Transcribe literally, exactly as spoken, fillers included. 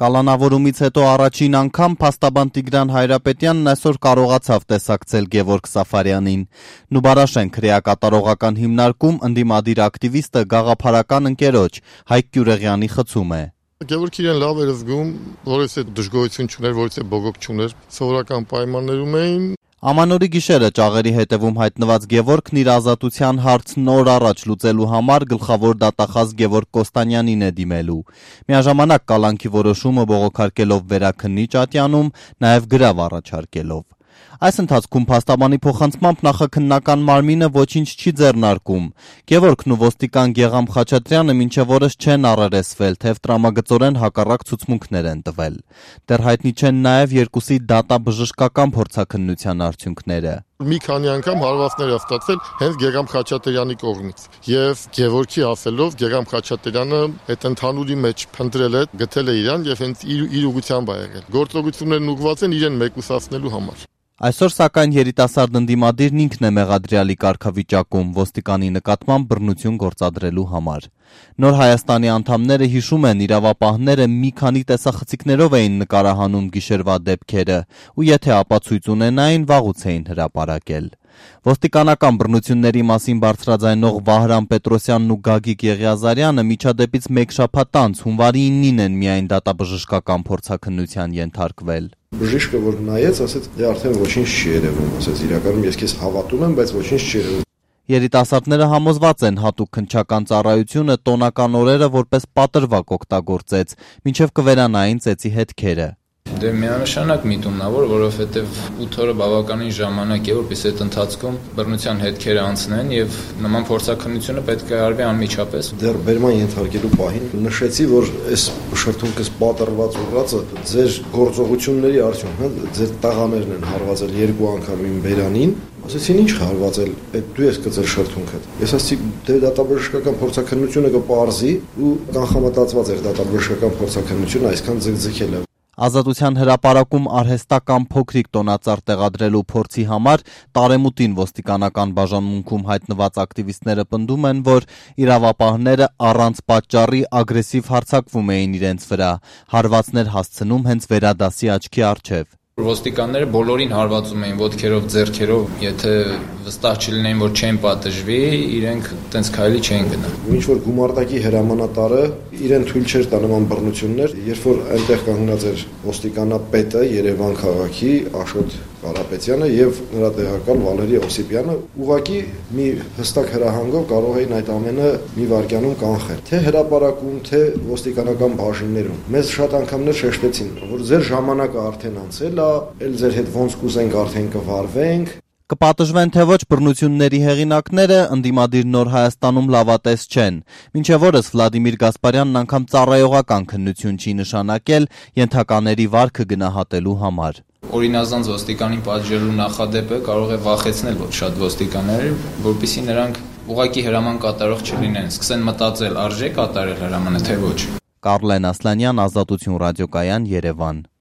Կալանավորումից հետո առաջին անգամ փաստաբան Տիգրան Հայրապետյանն այսօր կարողացավ տեսակցել Գևորգ Սաֆարյանին։ Նուբարաշեն քրեակատարողական հիմնարկում ընդդիմադիր ակտիվիստը գաղափարական ընկերոջ Հայկ Գյուրեղյանի խցում է։ Գևորգ իրեն լավ էր զգում, որից է դժգոհություն չուներ, որից է բողոք չուներ, սովորական պայմաններում էին։ Ամանորի գիշերը ճաղերի հետևում հայտնված Գևորգն իր ազատության հարցն օր առաջ լուծելու համար գլխավոր դատախազ Գևորգ Կոստանյանին է դիմելու։ Միաժամանակ կալանքի որոշումը բողոքարկելով վերաքննիչ ատյանում, նաև գրավ առաջարկելով։ Այս ընթացքում փաստաբանի փոխանցմամբ նախաքննական մարմինը ոչինչ չի ձեռնարկում։ Գևորգն ու ոստիկան Գեգամ Խաչատրյանը մինչև օրս չեն առերեսվել, թեև տրամագծորեն հակառակ ցուցմունքներ են տվել։ Դեռ հայտնի չեն նաև երկուսի դատաբժշկական փորձաքննության արդյունքները։ Մի քանի անգամ հարվածներ է ստացվել հենց Գեգամ Խաչատրյանի կողմից։ Եվ Գևորգի ասելով Գեգամ Խաչատրյանը այդ ընդհանուրի մեջ փնտրել է, գտել է իրան եւ հենց իր, իր ուղղությամբ է եղել։ Գործողություններն ուղղված են իրեն մեկուսացնելու համար։ Այսօր սակայն երիտասարդ ընդդիմադիրն ինքն է մեղադրյալի կարգավիճակում ոստիկանի նկատմամբ բռնություն գործադրելու համար։ Նոր Հայաստանի անդամները հիշում են, իրավապահները մի քանի տեսախցիկներով էին նկարահանում գիշերվա դեպքերը ու եթե ապացույց ունենային, վաղուց էին հրապարակել։ Ոստիկանական բռնությունների մասին բարձրաձայնող Վահրամ Պետրոսյանն ու Գագիկ Եղիազարյանը միջադեպից մեկ շաբաթ անց հունվարի իննին են միայն դատաբժշկական փորձաքննության ենթարկվել։ Բժիշկը որ նայեց, ասեց, դե արդեն ոչինչ չի երևում, ասեց, իրականում ես քեզ հավատում եմ, բայց ոչինչ չի երևում։ Երիտասարդները համոզված են հատուկ քննչական ծառայությունը տոնական օրերը որպես պատրվակ օգտագործեց, մինչև կվերանային ծեծի հետքերը։ Դե միանշանակ միտումնավոր, որովհետև ութ օրը բավականին ժամանակ է, որպես այդ ընթացքում բռնության հետքերը անցնեն եւ նման փորձաքննությունը պետք է արվի անմիջապես։ Դեռ բերման ենթարկելու պահին նշեցի, որ այս շրթունքս պատրված ուղղածը ձեր գործողությունների արդյունքն է, ձեր տաղաներն են հարվածել երկու անգամ իմ բերանին։ Ասեցին ինչ հարվածել, այդ դու ես գծել շրթունքը։ Ես ասացի, դե դատաբժշկական փորձաքննությունը կպարզի ու կանխամտածված էր դատաբժշկական փորձաքննությունը այսքան ձգձգել է։ Ազատության հրապարակում արհեստական փոքրիկ տոնածառ տեղադրելու փորձի համար տարեմուտին ոստիկանական բաժանմունքում հայտնված ակտիվիստները պնդում են, որ իրավապահները առանց պատճառի ագրեսիվ հարձակվում էին իրենց վրա, հարվածներ հասցնում հենց վերադասի աչքի առջև։ Ոստիկանները բոլորին հարվածում էին ոտքերով, ձեռքերով, եթե վստահ չլինեին, որ չեն պատժվի, իրենք տենց քայլի չեն գնա։ Ինչ որ գումարտակի հրամանատարը իրեն թույլ չէր տա նման բռնություններ, երբ որ այնտեղ կանգնած էր ոստիկանապետը Երևան քաղաքի Աշոտ Կարապետյանը եւ նրա տեղակալ Վալերի Օսիպյանը, ուղղակի մի հստակ հրահանգով կարող էին այդ ամենը մի վայրկյանում կանխել, թե հրապարակում, թե ոստիկանական բաժիններում։ Մեզ շատ անգամներ շեշտեցին, որ ձեր ժամանակը արդեն անցել է, ել ձեր հետ ոնց կուզենք արդեն կվարվենք։ Կպատժվեն թե ոչ բռնությունների հեղինակները ընդդիմադիր Նոր Հայաստանում լավատես չեն։ Մինչև օրս Վլադիմիր Գասպարյանն անգամ ծառայողական քննություն չի նշանակել ենթակաների վարքը գնահատելու համար։ Օրինազանց ոստիկանին պատժելու նախադեպը կարող է վախեցնել ոչ շատ ոստիկաններ, որպեսզի նրանք ուղղակի հրաման կատարող չլինեն, սկսեն մտածել արժե կատարել հրամանը թե ոչ։ Կարլեն Ասլանյան, Ազատություն ռադիոկայան, Երևան։